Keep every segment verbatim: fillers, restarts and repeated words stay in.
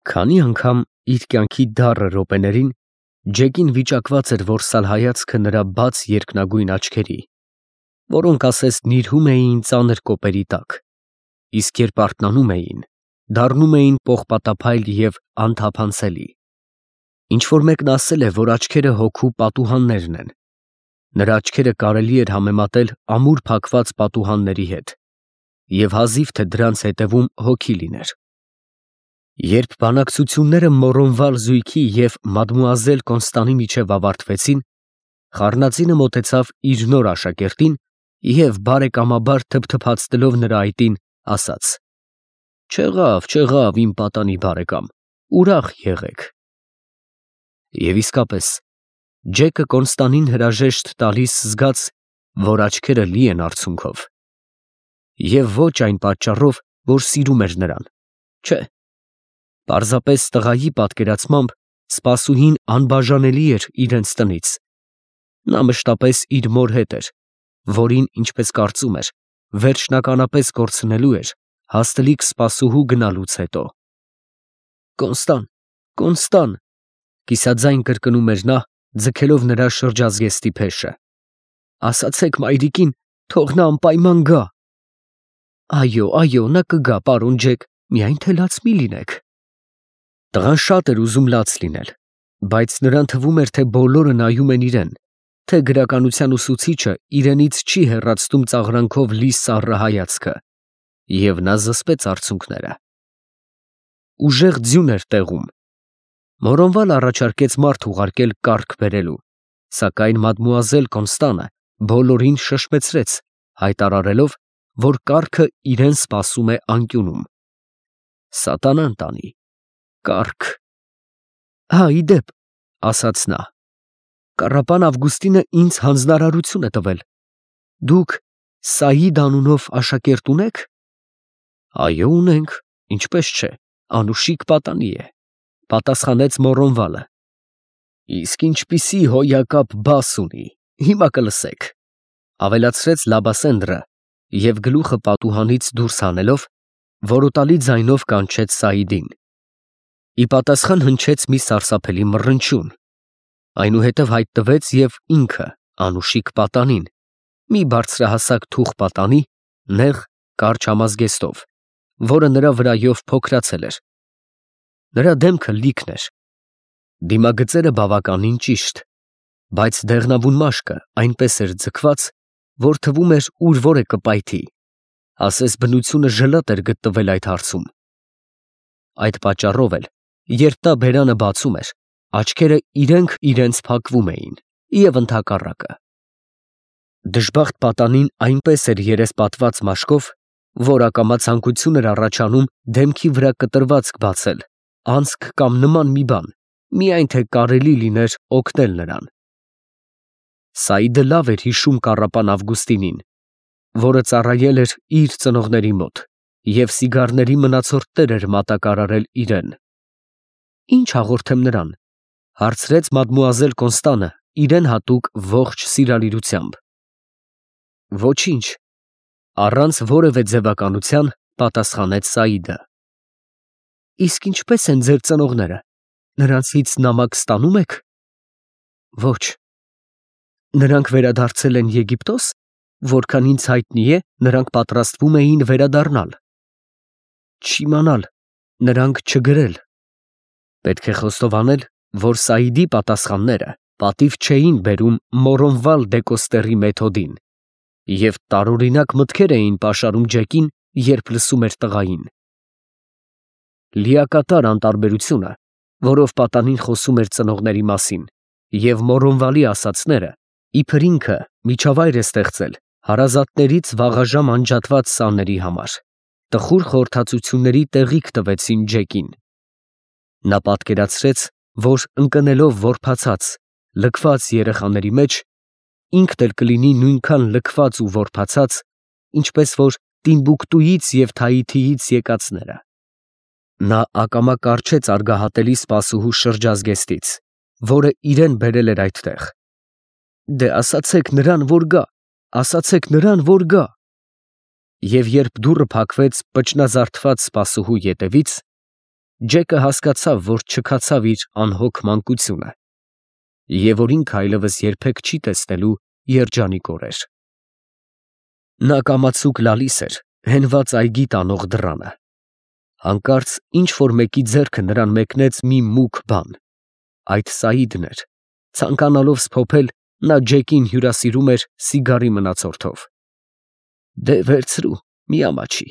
Քանի անգամ իր կյանքի դառը րոպեներին Ջեկին վիճակված էր որսալ հայացքը նրա բաց երկնագույն աչքերի, որոնք ասես նիրհում էին ծանր կոպերի տակ, իսկ երբ արթնանում էին, դառնում էին պողպատափայլ և անթափանցելի։ Ինչ-որ մեկն ասել է, որ աչքերը հոգու պատուհաններն են. նրա աչքերը կարելի էր համեմատել ամուր փակված պատուհանների հետ, և հազիվ թե դրանց հետևում հոգի լիներ։ Երբ բանակցությունները Մոռոնվալ զույգի և մադմուազել Կոնստանի միջև ավարտվեցին, խառնածինը մոտեցավ իր նոր աշակերտին և բարեկամաբար թփթփացնելով նրա այտին, ասաց. «Չեղավ, չեղավ, իմ պատանի բարեկամ, ուրախ եղեք»։ Եվ իսկապես, Ջեկը Կոնստանին հրաժեշտ տալիս զգաց, որ աչքերը լի են արցունքով։ Եվ ոչ այն պատճառով, որ սիրում էր նրան, չէ, պարզապես տղայի պատկերացմամբ սպասուհին անբաժանելի էր իրենց տնից։ Նա մշտապես իր մոր հետ էր, որին, ինչպես կարծում էր, վերջնականապես կորցնելու էր հաստլիկ սպասուհու գնալուց հետո։ «Կոնստան, Կոնստան», կիսաձայն կրկնում էր նա, ձգելով նրա շրջազգեստի փեշը, «ասացեք մայրիկին, թող նա անպայման գա»։ «Այո, այո, նա կգա, պարոն Ջեք, միայն թե լաց մի լինեք»։ Տղան շատ էր ուզում լաց լինել, բայց նրան թվում էր, թե բոլորը նայում են իրեն, թե գրականության ուսուցիչը իրենից չի հեռացնում ծաղրանքով լի սառը հայացքը, և նա զսպեց արցունքները։ Ուժեղ ձյուն էր տեղում։ Մոռոնվալ առաջարկեց մարդ ուղարկել կառք բերելու, սակայն մադմուազել Կոնստանը բոլորին շշմեցրեց, հայտարարելով, որ կառքը իրեն սպասում է անկյունում։ Սատանան տանի, կառք… «Հա, ի դեպ, ֊ ասաց նա, ֊ կառապան Ավգուստինը ինձ հանձնարարություն է տվել. դուք Սաիդ անունով աշակերտ ունե՞ք»։ «Այո, ունենք, ինչպես չէ, անուշիկ պատանի է», ֊ պատասխանեց Մոռոնվալը։ «Իսկ ինչպիսի հոյակապ բաս ունի, հիմա կլսեք», ֊ ավելացրեց Լաբասենդրը և գլուխը պատուհանից դուրս հանելով, որոտալի ձայնով կանչեց Սաիդին։ Ի պատասխան հնչեց մի սարսափելի մռնչյուն, այնուհետև հայտնվեց և ինքը անուշիկ պատանին, մի բարձրահասակ թուխ պատանի, նեղ, կարճ համազգեստով, որը նրա վրայով փոքրացել էր։ Նրա դեմքը լիքն էր, դիմագծերը բավականին ճիշտ, բայց դեղնավուն մաշկը այնպես էր ձգված, որ թվում էր ուր որ է կպայթի, ասես բնությունը ժլատ էր գտնվել այդ հարցում։ Այդ պատճառով էլ, երբ նա բերանը բացում էր, աչքերը իրենք իրենց փակվում էին, և ընդհակառակը։ Դժբախտ պատանին այնպես էր երեսպատված մաշկով, որ ակամա ցանկություն էր առաջանում դեմքի վրա կտրվածք բացել, անցք կամ նման մի բան, միայն թե կարելի լիներ օգնել նրան։ Սաիդը լավ էր հիշում կառապան Ավգուստինին, որը ծառայել էր իր ծնողների մոտ և սիգարների մնացորդներ էր մատակարարել իրեն։ «Ի՞նչ հաղորդեմ նրան», ֊ հարցրեց մադմուազել Կոնստանը իրեն հատուկ ողջ սիրալիրությամբ։ «Ոչինչ», ֊ առանց որևէ ձևականության պատասխանեց Սաիդը։ «Իսկ ինչպե՞ս են ձեր ծնողները, նրանցից նամակ ստանո՞ւմ եք»։ «Ոչ»։ «Նրանք վերադարձել են Եգիպտո՞ս, որքան ինձ հայտնի է, նրանք պատրաստվում էին վերադառնալ»։ «Չիմանալ, նրանք չգրել»։ Պետք է խոստովանել, որ Սաիդի պատասխանները պատիվ չէին բերում Մոռոնվալ դեկոստերի մեթոդին, և տարօրինակ մտքեր էին պաշարում Ջեկին, երբ լսում էր տղային։ Լիակատար անտարբերությունը, որով պատանին խոսում էր ծնողների մասին, և Մոռոնվալի ասածները, իբր ինքը միջավայր է ստեղծել հարազատներից վաղաժամ անջատված սաների համար, տխուր խորհրդածությունների տեղիք տվեցին Ջեկին։ Նա պատկերացրեց, որ ընկնելով որբացած, լքված երեխաների մեջ, ինքն էլ կլինի նույնքան լքված ու որբացած, ինչպես որ Տիմբուկտուից և Թայիթիից եկածները։ Նա ակամա կառչեց արգահատելի սպասուհու շրջազգեստից, որը իրեն բերել էր այդտեղ։ «Դե ասացեք նրան, որ գա, ասացեք նրան, որ գա»։ Եվ երբ դուռը փակվեց պճնազարդված սպասուհու ետևից, Ջեկը հասկացավ, որ չքացավ իր անհոգ մանկությունը և որ ինքը այլևս երբեք չի տեսնելու երջանիկ օրեր։ Նա կամացուկ լալիս էր հենված այգի տանող դռանը։ Հանկարծ ինչ-որ մեկի ձեռքը նրան մեկնեց մի մուգ բան։ Այդ Սաիդն էր։ Ցանկանալով սփոփել, նա Ջեկին հյուրասիրում էր սիգարի մնացորդով։ «Դե վերցրու, մի ամաչի,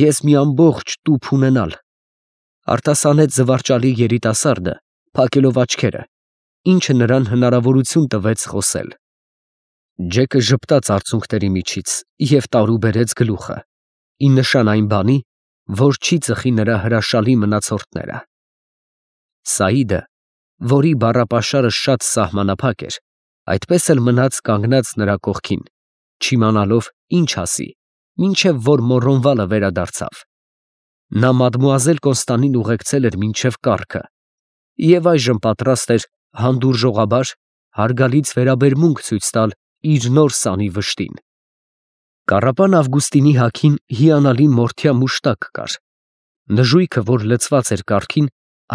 ես մի ամբողջ տուփ ունենալ», արտասանեց զվարճալի երիտասարդը, փակելով աչքերը, ինչը նրան հնարավորություն տվեց խոսել։ Ջեկը ժպտաց արցունքների միջից և տարուբերեց գլուխը, ի նշան այն բանի, որ չի ծխի նրա հրաշալի մնացորդները։ Սաիդը, որի բառապաշարը շատ սահմանափակ էր, այդպես էլ մնաց կանգնած նրա կողքին, չիմանալով ինչ ասի, մինչև որ Մոռոնվալը վերադարձավ։ Նա մադմուազել Կոնստանին ուղեկցել էր մինչև կառքը և այժմ պատրաստ էր հանդուրժողաբար հարգալից վերաբերմունք ցույց տալ իր նոր սանի վշտին։ Կառապան Ավգուստինի հագին հիանալի մորթյա մուշտակ կար։ Նժույգը, որ լցված էր կառքին,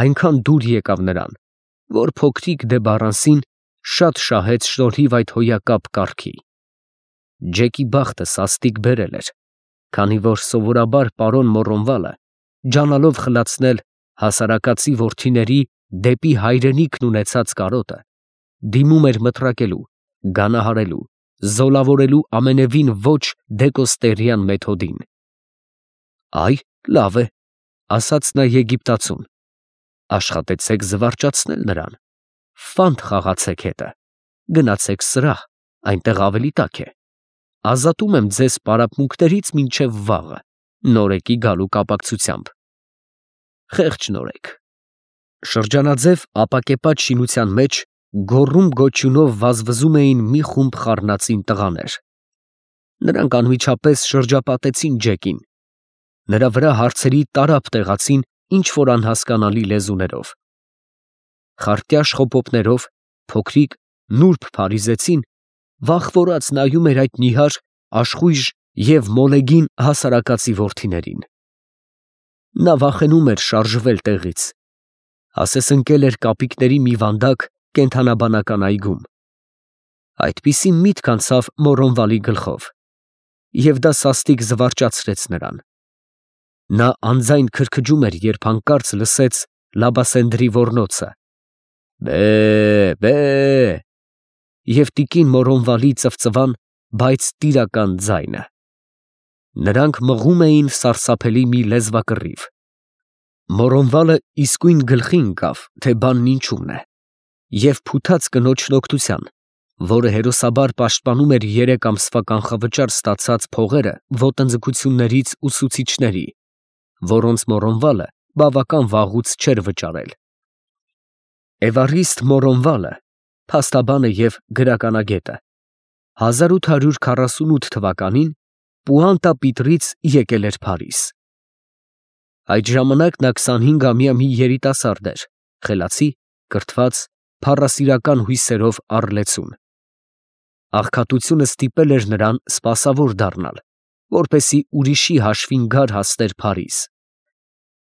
այնքան դուր եկավ նրան, որ փոքրիկ դե Բառանսին շատ շահեց շնորհիվ այդ հոյակապ կառքի։ Ջեկի բախտը սաստիկ բերել էր, քանի որ սովորաբար պարոն Մոռոնվալը, ջանալով խլացնել հասարակածի որդիների դեպի հայրենիքն ունեցած կարոտը, դիմում էր մտրակելու, գանահարելու, զոլավորելու ամենևին ոչ դեկոստերյան մեթոդին։ «Այ, լավ է», ասաց նա եգիպտացուն, «աշխատեցեք զվարճացնել նրան, ֆանտ խաղացեք հետը, գնացեք սրահ, այնտեղ ավելի տաք է, ազատում եմ ձեզ պարապմունքներից մինչև վաղը, նորեկի գալու կապակցությամբ»։ Խեղճ նորեկ։ Շրջանաձև ապակեպատ շինության մեջ գոռում֊գոչյունով վազվզում էին մի խումբ խառնածին տղաներ։ Նրանք անմիջապես շրջապատեցին Ջեկին։ Նրա վրա հարցերի տարափ տեղացին ինչ֊որ անհասկանալի լեզուներով։ Խարտյաշ խոպոպներով փոքրիկ նուրբ փարիզեցին վախվորած նայում էր այդ նիհար, աշխույժ և մոլեգին հասարակածի որդիներին։ Նա վախենում էր շարժվել տեղից, ասես ընկել էր կապիկների մի վանդակ կենդանաբանական այգում։ Այդպիսի միտք անցավ Մոռոնվալի գլխով, և դա սաստիկ զվարճացրեց նրան։ Նա անձայն քրքջում էր, երբ հանկարծ լսեց Լաբասենդրի ոռնոցը. «Բե՛, բե՛», և տիկին Մոռոնվալի ծվծվան, բայց տիրական ձայնը։ Նրանք մղում էին սարսափելի մի լեզվակռիվ։ Մոռոնվալը իսկույն գլխի ընկավ, թե բանն ինչումն է, և փութաց կնոջն օգնության, որը հերոսաբար պաշտպանում էր երեք ամսվա կանխավճար ստացած փողերը ոտնձգություններից ուսուցիչների, որոնց Մոռոնվալը բավական վաղուց չէր վճարել։ Էվարիստ Մոռոնվալը, փաստաբանը և գրականագետը, հազար ութ հարյուր քառասունութ թվականին Պուանտա Պիտրից եկել էր Փարիզ։ Այդ ժամանակ նա քսանհինգամյա մի երիտասարդ էր, խելացի, կրթված, փառասիրական հույսերով առլեցուն։ Աղքատությունը ստիպել էր նրան սպասավոր դառնալ, որպեսզի ուրիշի հաշվին գար հասներ Փարիզ։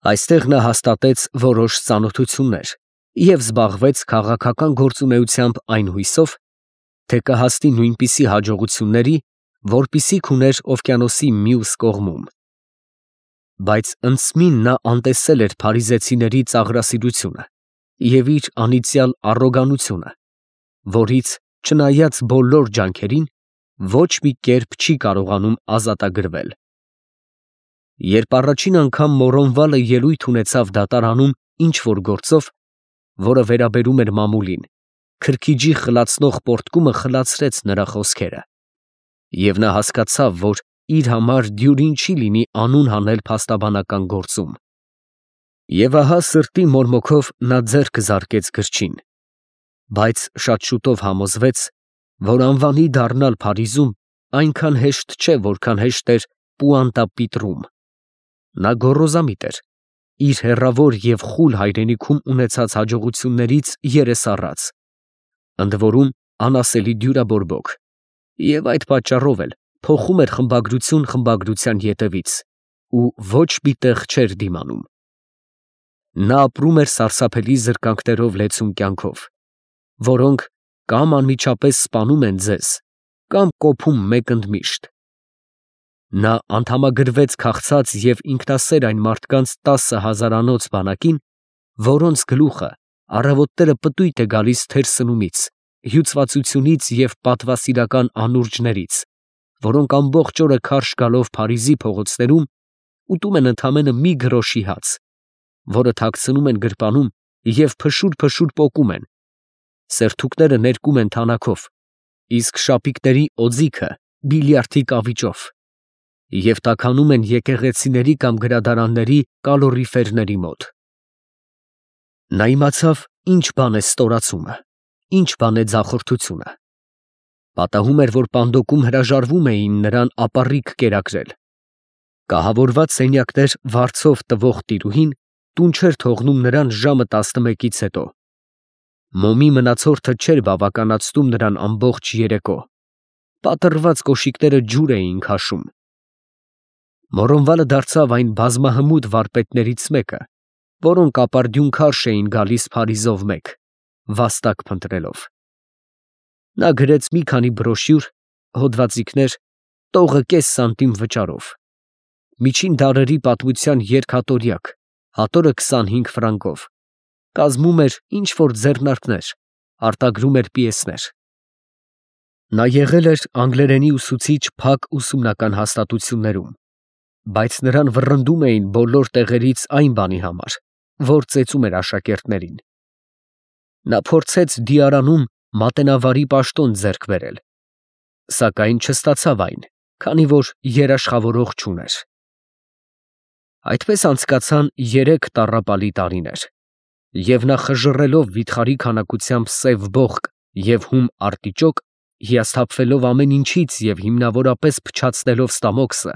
Այստեղ նա հաստատեց որոշ ծանոթություններ և զբաղվեց քաղաքական գործունեությամբ այն հույսով, թե կհասնի նույնպիսի հաջողությունների, որպիսիք ուներ օվկիանոսի մյուս կողմում։ Բայց ընծմին նա անտեսել էր փարիզեցիների ծաղրասիրությունը և իր անիծյալ առոգանությունը, որից, չնայած բոլոր ջանքերին, ոչ մի կերպ չի կարողանում ազատագրվել։ Երբ առաջին անգամ Մոռոնվալը ելույթ ունեցավ դատարանում ինչ֊որ գործով, որը վերաբերում էր մամուլին, քրքիջի խլացնող պոռթկումը խլացրեց նրա խոսքերը, և նա հասկացավ, որ իր համար դյուրին չի լինի անուն հանել փաստաբանական գործում։ Եվ ահա սրտի մորմոքով նա ձեռքը զարկեց գրչին, բայց շատ շուտով համոզվեց, որ անվանի դառնալ Փարիզում այնքան հեշտ չէ, որքան հեշտ էր Պուանտա Պիտրում։ Նա գոռոզամիտ էր, իր հեռավոր և խուլ հայրենիքում ունեցած հաջողություններից երես առած, ընդ որում անասելի դյուրաբորբոք, և այդ պատճառով էլ փոխում էր խմբագրություն խմբագրության ետևից ու ոչ մի տեղ չէր դիմանում։ Նա ապրում էր սարսափելի զրկանքներով լեցուն կյանքով, որոնք կամ անմիջապես սպանում են ձեզ, կամ կոփում մեկ ընդմիշտ։ Նա անդամագրվեց քաղցած և ինքնասեր այն մարդկանց տասը հազարանոց բանակին, որոնց գլուխը առավոտները պտույտ է գալիս թերսնումից, հյուծվածությունից և պատվասիրական անուրջներից, որոնք ամբողջ օրը քարշ գալով Փարիզի փողոցներում ուտում են ընդամենը մի գրոշի հաց, որը թաքցնում են գրպանում և փշուր-փշուր պոկում են, սերթուկները ներկում են թանաքով, իսկ շապիկների օձիքը բիլիարդի կավիճով, և տաքանում են եկեղեցիների կամ գրադարանների կալորիֆերների մոտ։ Նա իմացավ, ինչ բան է ստորացումը, ինչ բան է ձախորդությունը։ Պատահում էր, որ Պանդոկում հրաժարվում էին նրան ապառիկ կերակրել։ Կահավորված սենյակներ վարձով տվող տիրուհին տուն չէր թողնում նրան ժամը տասնմեկից հետո։ Մոմի մնացորդը չէր բավականացնում նրան ամբողջ երեկո։ Պատռված կոշիկները ջուր էին քաշում։ Մոռոնվալը դարձավ այն բազմահմուտ վարպետներից մեկը, որոնք ապարդյուն քարշ էին գալիս Փարիզով մեկ, վաստակ փնտրելով։ Նա գրեց մի քանի բրոշյուր, հոդվածիկներ, տողը կես սանտիմ վճարով։ Միջին դարերի պատմության երկհատորյակ, հատորը քսանհինգ ֆրանկով, կազմում էր ինչ֊որ ձեռնարկներ, արտագրում էր պիեսներ։ Նա եղել էր անգլերենի ուսուցիչ փակ ուսումնական հաստատություններում, բայց նրան վռնդում էին բոլոր տեղերից այն բանի համար, որ ծեծում էր աշակերտներին։ Նա փորձեց Դիարանում մատենավարի պաշտոն ձեռք բերել, սակայն չստացավ այն, քանի որ երաշխավորող չուներ։ Այդպես անցկացան երեք տառապալի տարիներ, և նա խժռելով վիթխարի քանակությամբ սև բողկ և հում արտիճոկ, հիասթափվելով ամեն ինչից և հիմնավորապես փչացնելով ստամոքսը,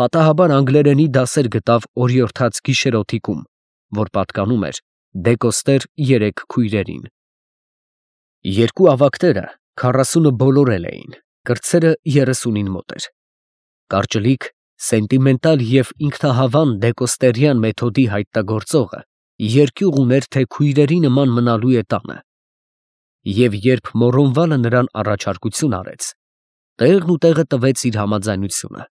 պատահաբար անգլերենի դասեր գտավ օրիորդաց գիշերօթիկում, որ պատկանում էր դեկոստեր երեք քույրերին։ Երկու ավագները քառասունը բոլորել էին, կրտսերը երեսունին մոտ էր։ Կարճլիկ, սենտիմենտալ և ինքնահավան դեկոստերյան մեթոդի հայտնագործողը երկյուղ ուներ, թե քույրերի նման մնալու է տանը, և երբ Մոռոնվալը նրան առաջարկություն արեց, տեղն ու տեղը տվեց իր համաձայնությունը։